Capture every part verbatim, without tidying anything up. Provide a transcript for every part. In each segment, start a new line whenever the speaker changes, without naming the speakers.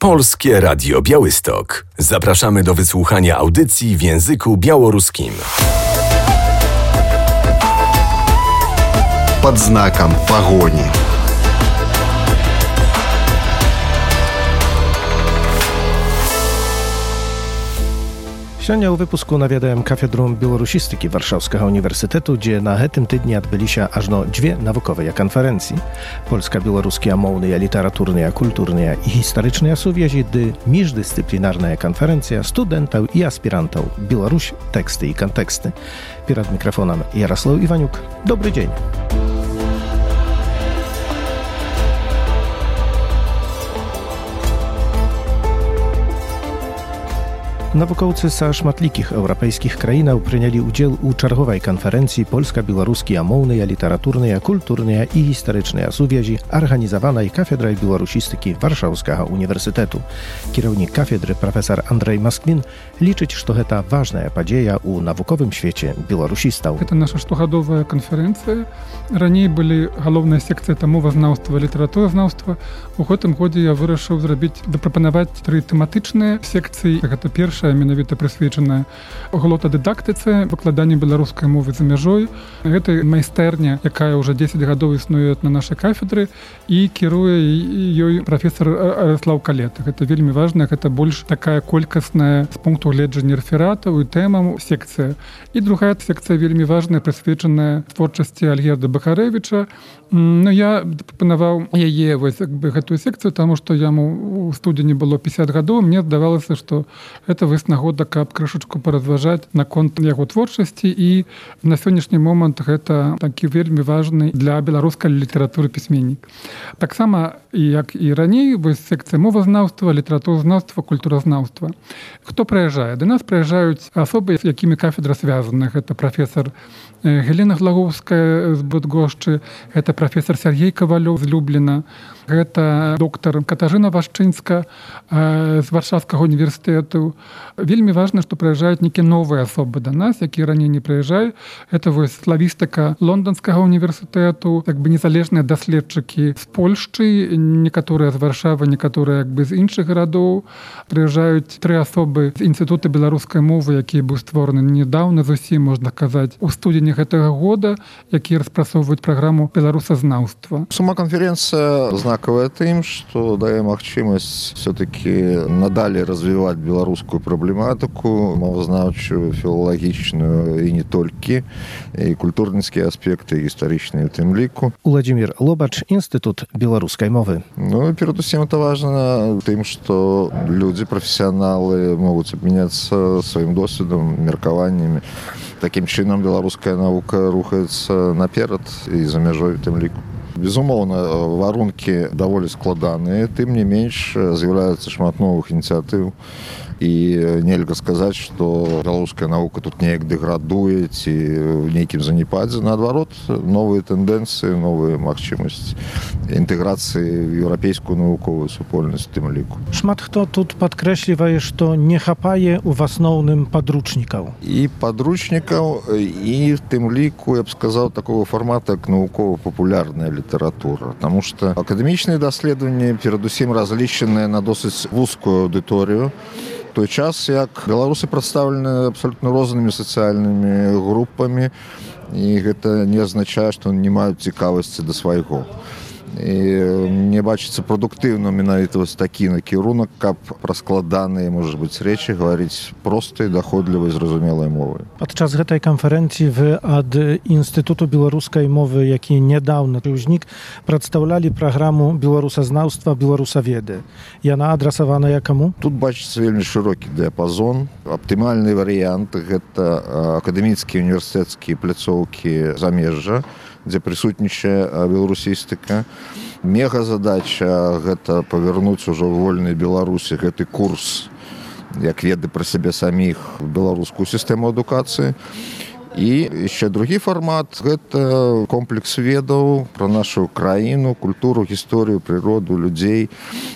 Polskie Radio Białystok. Zapraszamy do wysłuchania audycji w języku białoruskim.
Под знаком погони.
Сёння ў выпуску наведаем кафедру беларусістыкі Варшаўскага універсітэту, дзе на гэтым тыдні адбыліся ажно дзве навуковыя канферэнцыі. Польска-беларускія моўныя, літаратурныя, культурныя і гістарычныя сувязі ды міждысцыплінарная канферэнцыя студэнтаў і аспірантаў «Беларусь. Тэксты і кантэксты». Перад мікрафонам Ярослаў Іванюк. Добры дзень. Навукоўцы са шматлікіх еўрапейскіх краінаў прынялі ўдзел у чарговай канферэнцыі польска-беларускія моўныя, літаратурныя, культурныя і гістарычныя сувязі, арганізаванай кафедрай беларусістыкі Варшаўскага універсітэту. Кіраўнік кафедры прафесар Андрэй Масквін лічыць, што гэта важная падзея ў навуковым свеце беларусістаў.
Это наша штогадовая канферэнцыя. Раней былі галоўная секцыя это мовазнаўства, літаратуразнаўства. У гэтым годзе я вырашыў зрабіць, дапрапанаваць тры тэматычныя секцыі. Гэта першая менавіта прысвечаная глотадыдактыцы, выкладанню беларускай мовы за мяжой. Гэта майстэрня, якая ўжо дзесяць гадоў існуе на нашай кафедры, і кіруе ёй прафесар Араслаў Калета. Гэта вельмі важна, гэта больш такая колькасная з пункту гледжання рэфератаў і тэмам секцыя. І другая секцыя вельмі важная, прысвечаная творчасці Альгерда Бахарэвіча. Ну, я прапанаваў яе вось як бы гэтую секцыю, таму што яму ў студзені было пяцьдзясят гадоў. Мне здавалася, што гэта вось нагода, каб крышачку паразважаць наконт яго творчасці, і на сённяшні момант гэта такі вельмі важны для беларускай літаратуры пісьменнік. Таксама, як і раней, вось секцыя мовазнаўства, літаратуразнаўства, культуразнаўства. Хто прыязджае? Да нас прыязджаюць асобы, з якімі кафедра звязана. Гэта прафесар Галіна Глагоўская з Быдгошчы, гэта прафесар Сергей Кавалёў з Любліна, гэта доктар Катажына Вашчынска з Варшаўскага універсітэту. Вельмі важна, што прыязджаюць нейкія новыя асобы да нас, якія раней не прыязджаюць. Гэта вось славістыка Лонданскага універсітэту, як бы незалежныя даследчыкі з Польшчы, некаторыя з Варшавы, некаторыя як бы з іншых гарадоў. Прыязджаюць тры асобы з інстытута беларускай мовы, які быў створаны недаўна зусім, можна казаць, у студзені гэтага года, які распрацоўваюць праграму беларусазнаўства.
Сама канференцыя знакавая тым, што дае магчымасць все-таки надалей развіваць беларускую праблематыку, мовазнаўчую, філалагічную і не толькі, і культурніцкія аспекты, гістарычныя ў тым ліку.
Уладзімір Лобач, Інстытут беларускай мовы.
Ну, перадусім, это важна тым, што людзі, прафесіяналы могуць абмяняцца сваім досведам, меркаваннямі. Такім чынам беларуская навука рухаецца наперад і за мяжой у тым ліку. Безумоўна, варункі даволі складаныя, тым не менш з'яўляецца шмат новых ініцыятыў. І нельга сказаць, што беларуская навука тут неяк дэградуе ці ў нейкім занепадзе. Наадварот, новыя тэндэнцыі, новыя магчымасці інтэграцыі ў еўрапейскую навуковую супольнасць у тым ліку.
Шмат хто тут падкрэслівае, што не хапае ў асноўным падручнікаў.
І падручнікаў, і в тым ліку, я б сказаў, такого фармата, як навукова-папулярная літаратура. Таму што акадэмічныя даследаванні перадусім разлічаныя на досыць вузкую аўдыторыю. Той час, як беларусы прадстаўлены абсалютна рознымі сацыяльнымі групамі, і гэта не азначае, што не маюць цікавасці да свайго. І мне бачыцца прадуктыўна менавіта вось такі накірунак, каб пра складаныя, можа быць, рэчы гаварыць простай, даходлівай, зразумелай мовай.
Падчас гэтай канферэнцыі вы ад Інстытуту беларускай мовы, які нядаўна ўзнік, прадстаўлялі праграму беларусазнаўства, беларусаведы. Яна адрасаваная каму?
Тут бачыцца вельмі шырокі дыяпазон. Аптымальны варыянт гэта акадэміцкія універсітэцкія пляцоўкі замежжа, дзе прысутнічае беларусістыка. Мегазадача гэта павярнуць ужо ў вольнай Беларусі гэты курс, як веды пра сябе саміх, беларускую сістэму адукацыі. І яшчэ другі фармат – гэта комплекс ведаў пра нашу краіну, культуру, гісторыю, прыроду, людзей,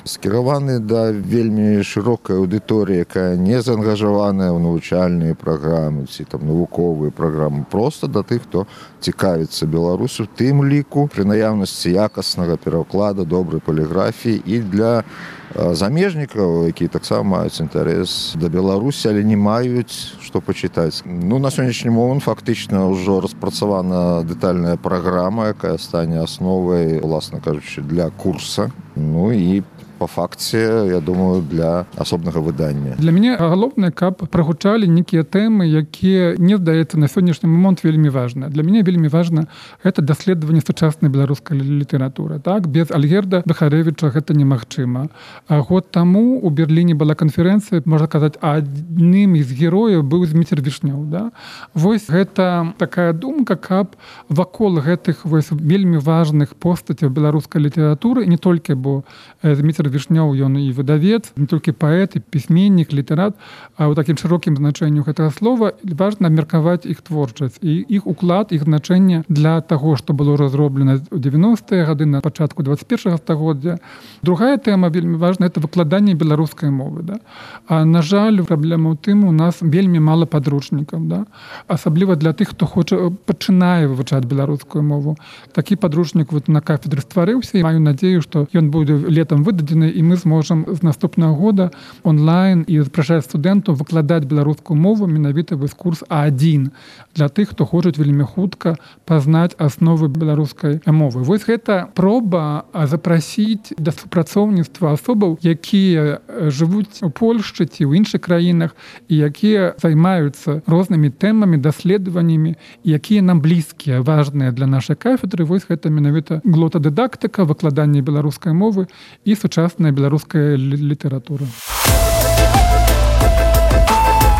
скіраваны да вельмі шырокай аўдыторыі, якая не заангажаваная ў навучальныя праграмы ці там навуковыя праграмы, проста да тых, хто цікавіцца Беларусю, тым ліку пры наяўнасці якаснага пераклада, добрай паліграфіі і для замежнікаў, якія таксама маюць інтарэс да Беларусі, але не маюць што пачытаць. Ну, на сённяшні момант фактычна ўжо распрацавана дэтальная праграма, якая стане асновай, уласна кажучы, для курса. Ну і по факце, я думаю, для асобнага выдання.
Для мяне галоўнае, каб прагучалі нейкія тэмы, якія, мне здаецца, на сённяшні момант вельмі важна. Для мяне вельмі важна гэта даследаванне сучаснай беларускай літаратуры. Так? Без Альгерда Бехарэвіча гэта немагчыма. А год таму у Берліне была канферэнцыя, можна казаць, адным з герояў быў Зміцер Вішнёў. Да? Вось гэта такая думка, каб вакол гэтых вось вельмі важных постацяў беларускай літаратуры, не толькі, бо Зміцер Вішнёў, ён і выдавец, не толькі паэт, і пісьменнік, літарат, а ў такім шырокім значэнню гэтага слова важна абмеркаваць іх творчасць і іх уклад, іх значэнне для таго, што было разроблена ў дзевяностыя гады, на пачатку дваццаць першага стагоддзя. Другая тэма вельмі важная — это выкладанне беларускай мовы. Да? А, на жаль, праблема ў тым, у нас вельмі мала падручнікаў. Да? Асабліва для тых, хто хоча пачынае вывучаць беларускую мову. Такі падручнік вот на кафедры стварыўся, і маю надзею, што ён будзе летам выдадзены, і мы зможам з наступнага года онлайн і запрашаць студэнтаў выкладаць беларускую мову менавіта вось курс А адзін для тых, хто хочуць вельмі хутка пазнаць асновы беларускай мовы. Вось гэта проба запрасіць да супрацоўніцтва асобаў, якія жывуць у Польшчы ці ў іншых краінах і якія займаюцца рознымі тэмамі, даследаваннямі, якія нам блізкія, важныя для нашай кафедры. Вось гэта менавіта глотадыдактыка, выкладанне беларускай мовы і сучасная беларуская літаратура.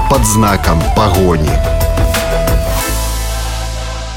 Под знаком погони.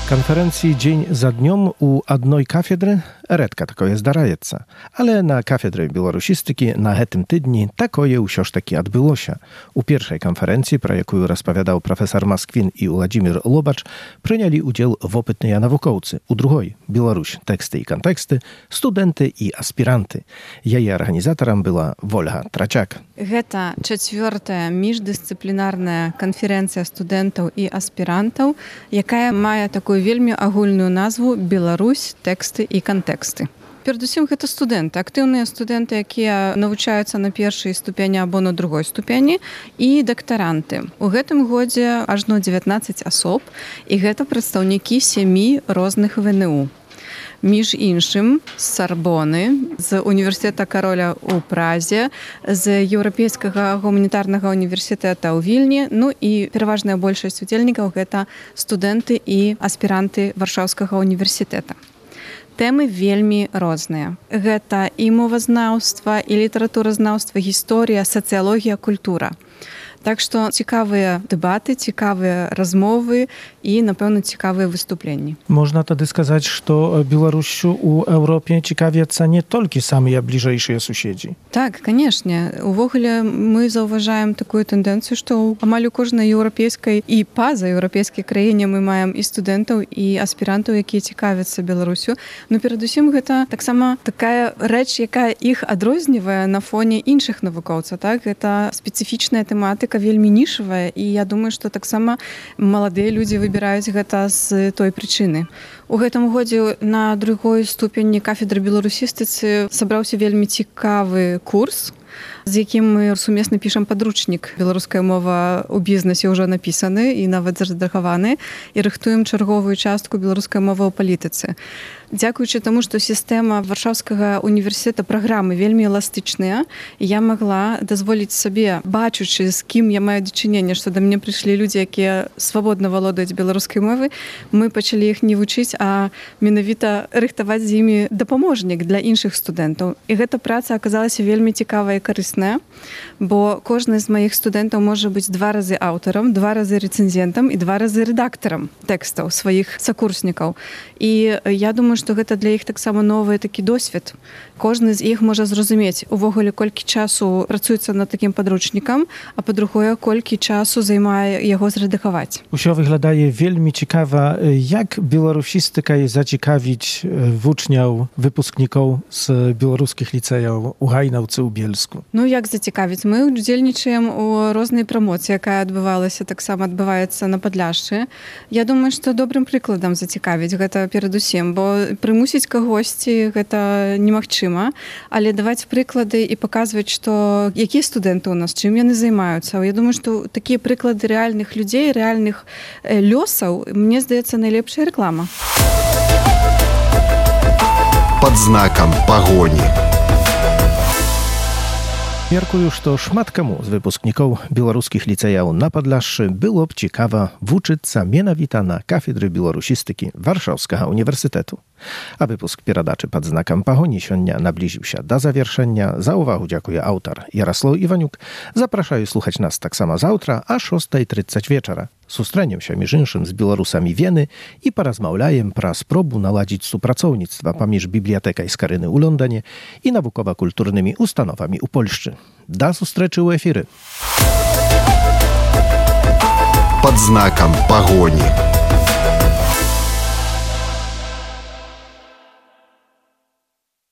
Канферэнцыі дзень за днём у адной кафедры рэдка такое здараецца. Але на кафедры беларусістыкі на гэтым тыдні такое ўсё ж такі адбылося. У першай канферэнцыі, пра якую распавядаў прафесар Масквін і Уладзімір Лобач, прынялі ўдзел вопытныя навукоўцы. У другой — Беларусь, тэксты і кантэксты, студэнты і аспіранты. Яе арганізатарам была Вольга Трачак.
Гэта чацвёртая міждысцыплінарная канферэнцыя студэнтаў і аспірантаў, якая мае такую вельмі агульную назву «Беларусь, тэксты і кантэксты». Перадусім, гэта студэнты, актыўныя студэнты, якія навучаюцца на першай ступені або на другой ступені, і дактаранты. У гэтым годзе ажно дзевятнаццаць асоб, і гэта прадстаўнікі сямі розных вэ эн у. Між іншым, з Сарбоны, з універсітэта Кароля ў Празе, з Еўрапейскага гуманітарнага універсітэта ў Вільні, ну і пераважная большасць удзельнікаў — гэта студэнты і аспіранты Варшаўскага універсітэта. Тэмы вельмі розныя. Гэта і мовазнаўства, і літаратуразнаўства, гісторыя, сацыялогія, культура. Так што цікавыя дэбаты, цікавыя размовы і, напэўна, цікавыя выступленні.
Можна тады сказаць, што Беларусю ў Еўропе цікавяцца не толькі самыя бліжэйшыя суседзі.
Так, канешне. Увогуле мы заўважаем такую тэндэнцыю, што амаль у кожнай еўрапейскай і пазаеўрапейскай краіне мы маем і студэнтаў, і аспірантаў, якія цікавяцца Беларусю. Но перадусім гэта таксама такая рэч, якая іх адрознівае на фоне іншых навукоўцаў. Так? Гэта спецыфічная тэматыка, вельмі нішавая, і я думаю, што таксама маладыя людзі выбіраюць гэта з той прычыны. У гэтым годзе на другой ступені кафедры беларусістыцы сабраўся вельмі цікавы курс, з якім мы сумесна пішам падручнік. Беларуская мова ў бізнесе ўжо напісаны і нават зарэдагаваны, і рыхтуем чарговую частку беларускай мовы ў палітыцы. Дзякуючы таму, што сістэма Варшаўскага універсітэта праграмы вельмі эластычная, я магла дазволіць сабе, бачучы, з кім я маю дачыненне, што да мяне прыйшлі людзі, якія свабодна валодаюць беларускай мовы, мы пачалі іх не вучыць, а менавіта рыхтаваць з імі дапаможнік для іншых студэнтаў. І гэта праца аказалася вельмі цікавая і карысная, бо кожны з маіх студэнтаў можа быць два разы аўтарам, два разы рэцэнзентам і два разы рэдактарам тэкстаў сваіх сакурснікаў. І я думаю, што гэта для іх таксама новы такі досвед. Кожны з іх можа зразумець увогуле, колькі часу працуецца над такім падручнікам, а па-другое, колькі часу займае яго зрэдагаваць.
Усё выглядае вельмі цікава. Як беларусістыкай зацікавіць вучняў, выпускнікоў з беларускіх ліцэяў у Гайнаўцы, у Бельску? беларуску?
Ну як зацікавіць, мы удзельнічаем у рознай прамоцыі, якая адбывалася, таксама адбываецца на Падляшшы. Я думаю, што добрым прыкладам зацікавіць гэта перадусім, бо прымусіць кагосьці гэта немагчыма, але даваць прыклады і паказваць, што якія студэнты ў нас, чым яны займаюцца. Я думаю, што такія прыклады рэальных людзей, рэальных лёсаў, мне здаецца, найлепшая рэклама.
Пад знакам пагоні.
Меркую, што шмат каму з выпускнікоў беларускіх ліцэяў на Падляшшы было б цікава вучыцца менавіта на кафедры беларусістыкі Варшаўскага універсітэту. А выпуск перадачы пад знакам пагоні сёння наблізіўся да завяршэння. За ўвагу дзякуе аўтар Яраслаў Іванюк. Запрашаю слухаць нас таксама заўтра а шостая трыццаць вечара. Сустрэнемся, між іншым, з беларусамі Вены і паразмаўляем пра спробу наладзіць супрацоўніцтва паміж бібліятэкай Скарыны ў Лондане і навукова-культурнымі установамі ў Польшчы. Да сустрэчы ў эфіры.
Пад знакам пагоні.